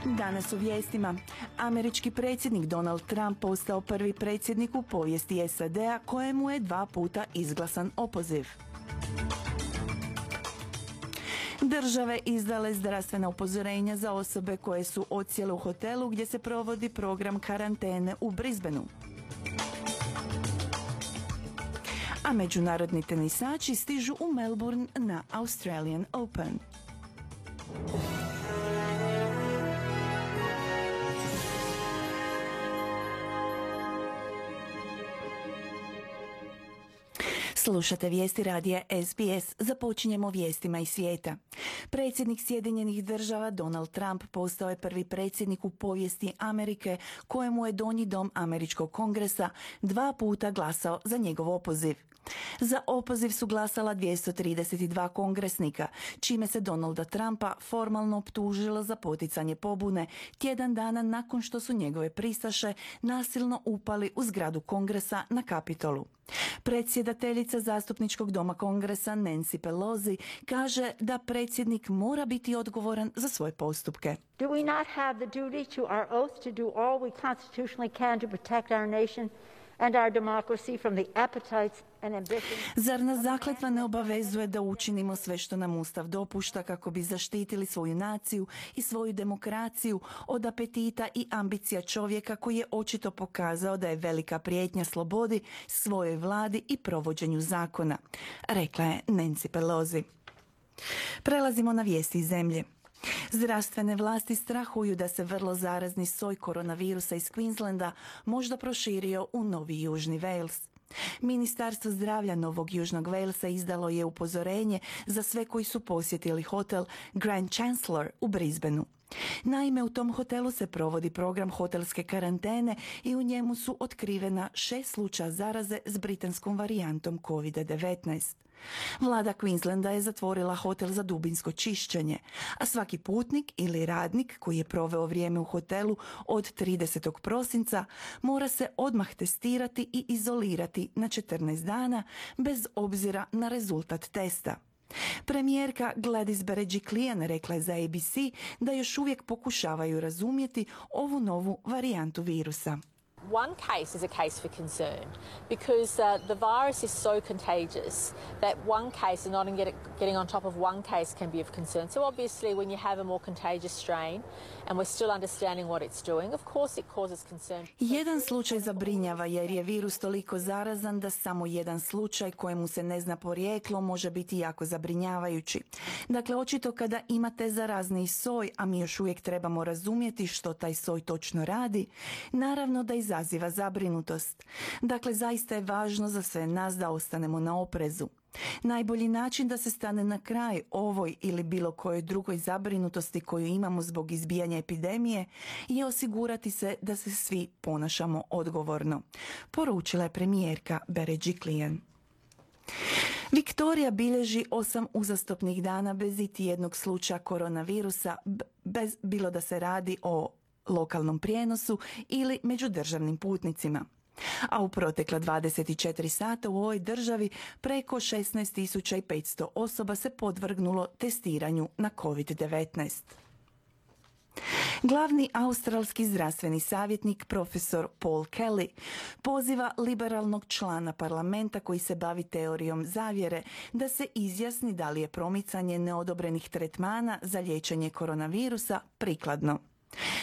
Danas u vijestima. Američki predsjednik Donald Trump postao prvi predsjednik u povijesti SAD-a kojemu je 2 puta izglasan opoziv. Države izdale zdravstvena upozorenja za osobe koje su odsjele u hotelu gdje se provodi program karantene u Brisbaneu. A međunarodni tenisači stižu u Melbourne na Australian Open. Slušate vijesti radija SBS. Započinjemo vijestima iz svijeta. Predsjednik Sjedinjenih država Donald Trump postao je prvi predsjednik u povijesti Amerike kojemu je Donji dom Američkog kongresa 2 puta glasao za njegov opoziv. Za opoziv su glasala 232 kongresnika, čime se Donalda Trumpa formalno optužilo za poticanje pobune tjedan dana nakon što su njegove pristaše nasilno upali u zgradu kongresa na Kapitolu. Predsjedateljica zastupničkog doma kongresa Nancy Pelosi kaže da predsjednik mora biti odgovoran za svoje postupke. Do we not have the duty to our oath to do all we constitutionally can to protect our nation and our democracy from the appetites and ambitions? Zar nas zakletva ne obavezuje da učinimo sve što nam Ustav dopušta kako bi zaštitili svoju naciju i svoju demokraciju od apetita i ambicija čovjeka koji je očito pokazao da je velika prijetnja slobodi, svojoj vladi i provođenju zakona, rekla je Nancy Pelosi. Prelazimo na vijesti iz zemlje. Zdravstvene vlasti strahuju da se vrlo zarazni soj koronavirusa iz Queenslanda možda proširio u Novi Južni Wales. Ministarstvo zdravlja Novog Južnog Walesa izdalo je upozorenje za sve koji su posjetili hotel Grand Chancellor u Brisbaneu. Naime, u tom hotelu se provodi program hotelske karantene i u njemu su otkrivena 6 slučaja zaraze s britanskom varijantom COVID-19. Vlada Queenslanda je zatvorila hotel za dubinsko čišćenje, a svaki putnik ili radnik koji je proveo vrijeme u hotelu od 30. prosinca mora se odmah testirati i izolirati na 14 dana bez obzira na rezultat testa. Premijerka Gladys Berejiklian rekla je za ABC da još uvijek pokušavaju razumjeti ovu novu varijantu virusa. One case is a case for concern because the virus is so contagious that one case and not getting on top of one case can be of concern. So obviously when you have a more contagious strain and we're still understanding what it's doing, of course it causes concern. Jedan slučaj zabrinjava jer je virus toliko zarazan da samo jedan slučaj kojemu se ne zna porijeklo može biti jako zabrinjavajući. Dakle, očito kada imate zarazniji soj, a mi još uvijek trebamo razumjeti što taj soj točno radi, naravno da izaziva zabrinutost. Dakle, zaista je važno za sve nas da ostanemo na oprezu. Najbolji način da se stane na kraj ovoj ili bilo kojoj drugoj zabrinutosti koju imamo zbog izbijanja epidemije je osigurati se da se svi ponašamo odgovorno, poručila je premijerka Berejiklian. Viktorija bilježi 8 uzastopnih dana bez iti jednog slučaja koronavirusa, bilo da se radi o lokalnom prijenosu ili međudržavnim putnicima. A u protekla 24 sata u ovoj državi preko 16.500 osoba se podvrgnulo testiranju na COVID-19. Glavni australski zdravstveni savjetnik profesor Paul Kelly poziva liberalnog člana parlamenta koji se bavi teorijom zavjere da se izjasni da li je promicanje neodobrenih tretmana za liječenje koronavirusa prikladno.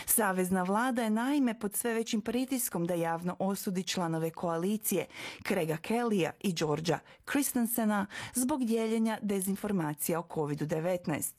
Savezna vlada je naime pod sve većim pritiskom da javno osudi članove koalicije Craiga Kellya i Georgea Christensena zbog dijeljenja dezinformacija o COVID-19.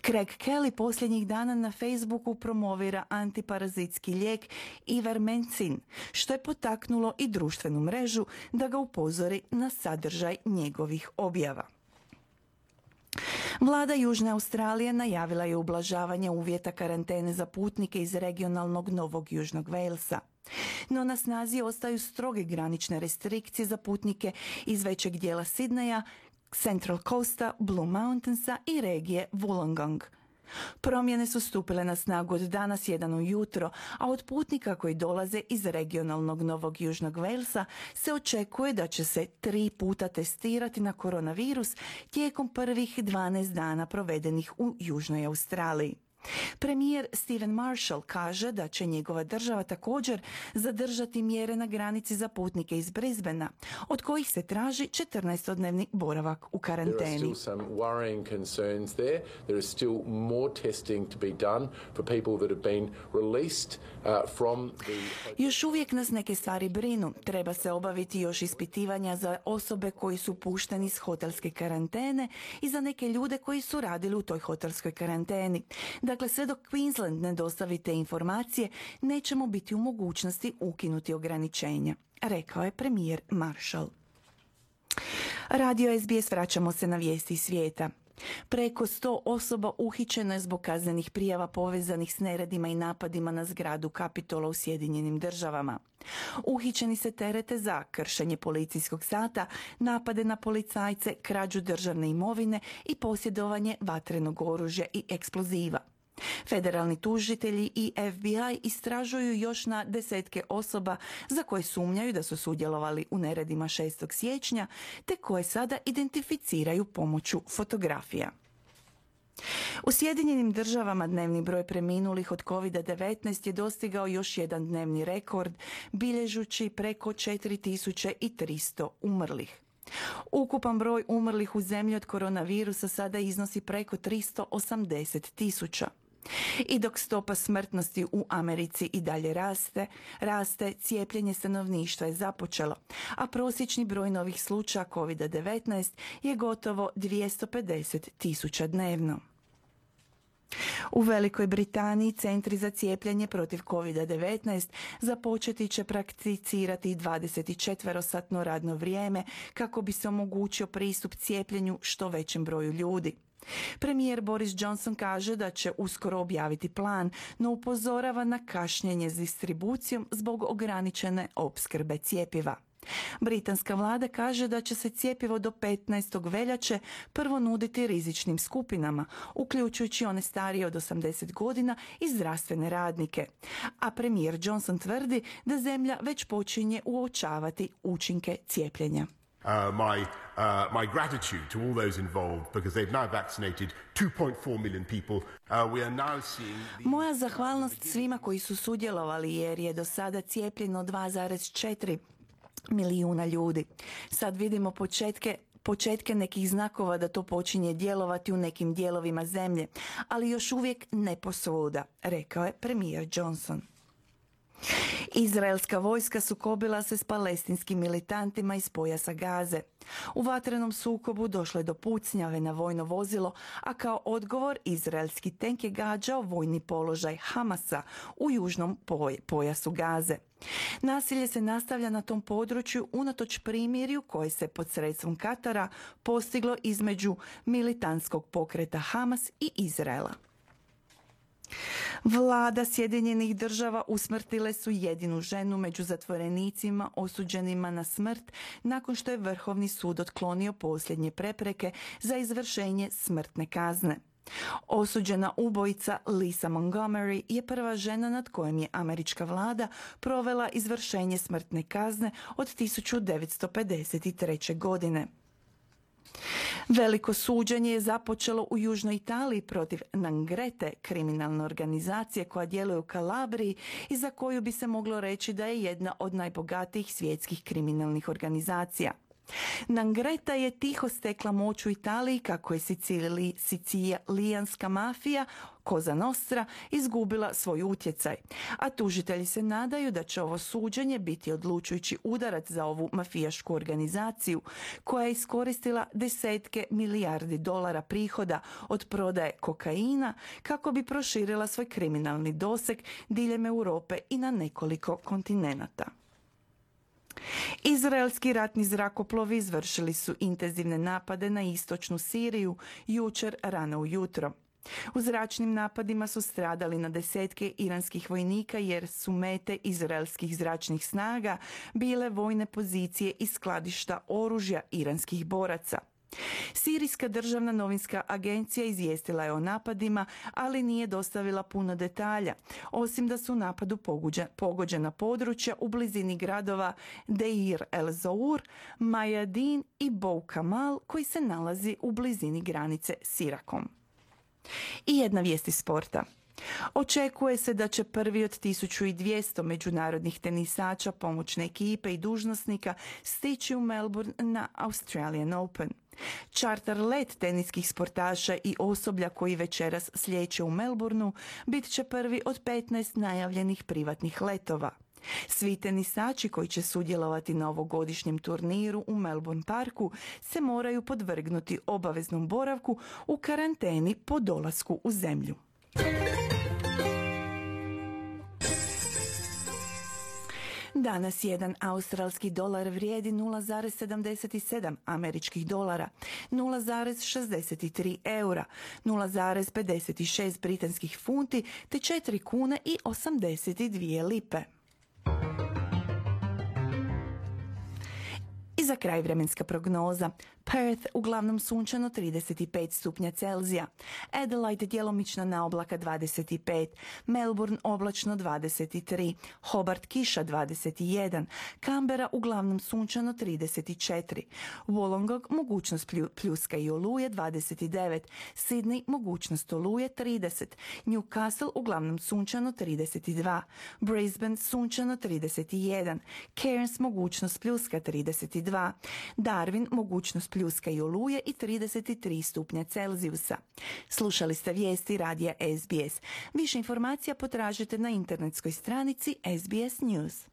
Craig Kelly posljednjih dana na Facebooku promovira antiparazitski lijek Ivermectin, što je potaknulo i društvenu mrežu da ga upozori na sadržaj njegovih objava. Vlada Južne Australije najavila je ublažavanje uvjeta karantene za putnike iz regionalnog Novog Južnog Walesa. No na snazi ostaju stroge granične restrikcije za putnike iz većeg dijela Sidneja, Central Coasta, Blue Mountainsa i regije Wollongong. Promjene su stupile na snagu od danas 1 ujutro, a od putnika koji dolaze iz regionalnog Novog Južnog Walesa se očekuje da će se 3 puta testirati na koronavirus tijekom prvih 12 dana provedenih u Južnoj Australiji. Premijer Stephen Marshall kaže da će njegova država također zadržati mjere na granici za putnike iz Brisbanea, od kojih se traži 14-dnevni boravak u karanteni. Još uvijek nas neke stvari brinu. Treba se obaviti još ispitivanja za osobe koji su pušteni iz hotelske karantene i za neke ljude koji su radili u toj hotelskoj karanteni. Dakle, sve dok Queensland ne dostavi te informacije, nećemo biti u mogućnosti ukinuti ograničenja, rekao je premijer Marshall. Radio SBS, vraćamo se na vijesti iz svijeta. Preko 100 osoba uhićeno je zbog kaznenih prijava povezanih s neredima i napadima na zgradu Kapitola u Sjedinjenim Državama. Uhićeni se terete za kršenje policijskog sata, napade na policajce, krađu državne imovine i posjedovanje vatrenog oružja i eksploziva. Federalni tužitelji i FBI istražuju još na desetke osoba za koje sumnjaju da su sudjelovali u neredima 6. siječnja, te koje sada identificiraju pomoću fotografija. U Sjedinjenim Državama dnevni broj preminulih od COVID-19 je dostigao još jedan dnevni rekord, bilježući preko 4300 umrlih. Ukupan broj umrlih u zemlji od koronavirusa sada iznosi preko 380.000. I dok stopa smrtnosti u Americi i dalje raste, cijepljenje stanovništva je započelo, a prosječni broj novih slučaja COVID-19 je gotovo 250.000 dnevno. U Velikoj Britaniji centri za cijepljenje protiv COVID-19 započeti će prakticirati 24-satno radno vrijeme kako bi se omogućio pristup cijepljenju što većem broju ljudi. Premijer Boris Johnson kaže da će uskoro objaviti plan, no upozorava na kašnjenje s distribucijom zbog ograničene opskrbe cjepiva. Britanska vlada kaže da će se cjepivo do 15. veljače prvo nuditi rizičnim skupinama, uključujući one starije od 80 godina i zdravstvene radnike. A premijer Johnson tvrdi da zemlja već počinje uočavati učinke cijepljenja. My gratitude to all those involved because they've now vaccinated 2.4 million people. We are now seeing Moja zahvalnost svima koji su sudjelovali jer je do sada cijepljeno 2,4 milijuna ljudi. Sad vidimo početke nekih znakova da to počinje djelovati u nekim dijelovima zemlje, ali još uvijek ne posvuda, rekao je premijer Johnson. Izraelska vojska sukobila se s palestinskim militantima iz pojasa Gaze. U vatrenom sukobu došlo je do pucnjave na vojno vozilo, a kao odgovor izraelski tenk je gađao vojni položaj Hamasa u južnom pojasu Gaze. Nasilje se nastavlja na tom području unatoč primirju koje se pod sredstvom Katara postiglo između militantskog pokreta Hamas i Izraela. Vlada Sjedinjenih Država usmrtile su jedinu ženu među zatvorenicima osuđenima na smrt nakon što je Vrhovni sud otklonio posljednje prepreke za izvršenje smrtne kazne. Osuđena ubojica Lisa Montgomery je prva žena nad kojom je američka vlada provela izvršenje smrtne kazne od 1953. godine. Veliko suđenje je započelo u Južnoj Italiji protiv 'Ndranghete, kriminalne organizacije koja djeluje u Kalabriji i za koju bi se moglo reći da je jedna od najbogatijih svjetskih kriminalnih organizacija. 'Ndrangheta je tiho stekla moć u Italiji kako je sicilijanska mafija Cosa Nostra izgubila svoj utjecaj, a tužitelji se nadaju da će ovo suđenje biti odlučujući udarac za ovu mafijašku organizaciju koja je iskoristila desetke milijardi dolara prihoda od prodaje kokaina kako bi proširila svoj kriminalni doseg diljem Europe i na nekoliko kontinenata. Izraelski ratni zrakoplovi izvršili su intenzivne napade na istočnu Siriju jučer rano ujutro. U zračnim napadima su stradali na desetke iranskih vojnika jer su mete izraelskih zračnih snaga bile vojne pozicije i skladišta oružja iranskih boraca. Sirijska državna novinska agencija izvijestila je o napadima, ali nije dostavila puno detalja, osim da su u napadu pogođena područja u blizini gradova Deir el-Zour, Mayadin i Bou Kamal koji se nalazi u blizini granice s Irakom. I jedna vijest iz sporta. Očekuje se da će prvi od 1200 međunarodnih tenisača, pomoćne ekipe i dužnosnika stići u Melbourne na Australian Open. Čarter let teniskih sportaša i osoblja koji večeras slijeće u Melbourneu bit će prvi od 15 najavljenih privatnih letova. Svi tenisači koji će sudjelovati na ovogodišnjem turniru u Melbourne Parku se moraju podvrgnuti obaveznom boravku u karanteni po dolasku u zemlju. Danas jedan australski dolar vrijedi 0,77 američkih dolara, 0,63 eura, 0,56 britanskih funti te 4 kune i 82 lipe. I za kraj vremenska prognoza. Perth uglavnom sunčano 35 stupnja Celzija, Adelaide djelomično na oblaka 25, Melbourne oblačno 23, Hobart kiša 21, Canberra uglavnom sunčano 34, Wollongong mogućnost pljuska i oluje 29, Sydney mogućnost oluje 30, Newcastle uglavnom sunčano 32, Brisbane sunčano 31, Cairns mogućnost pljuska 32, Darwin mogućnost pljuska i oluje i 33 stupnja Celzijusa. Slušali ste vijesti radija SBS. Više informacija potražite na internetskoj stranici SBS News.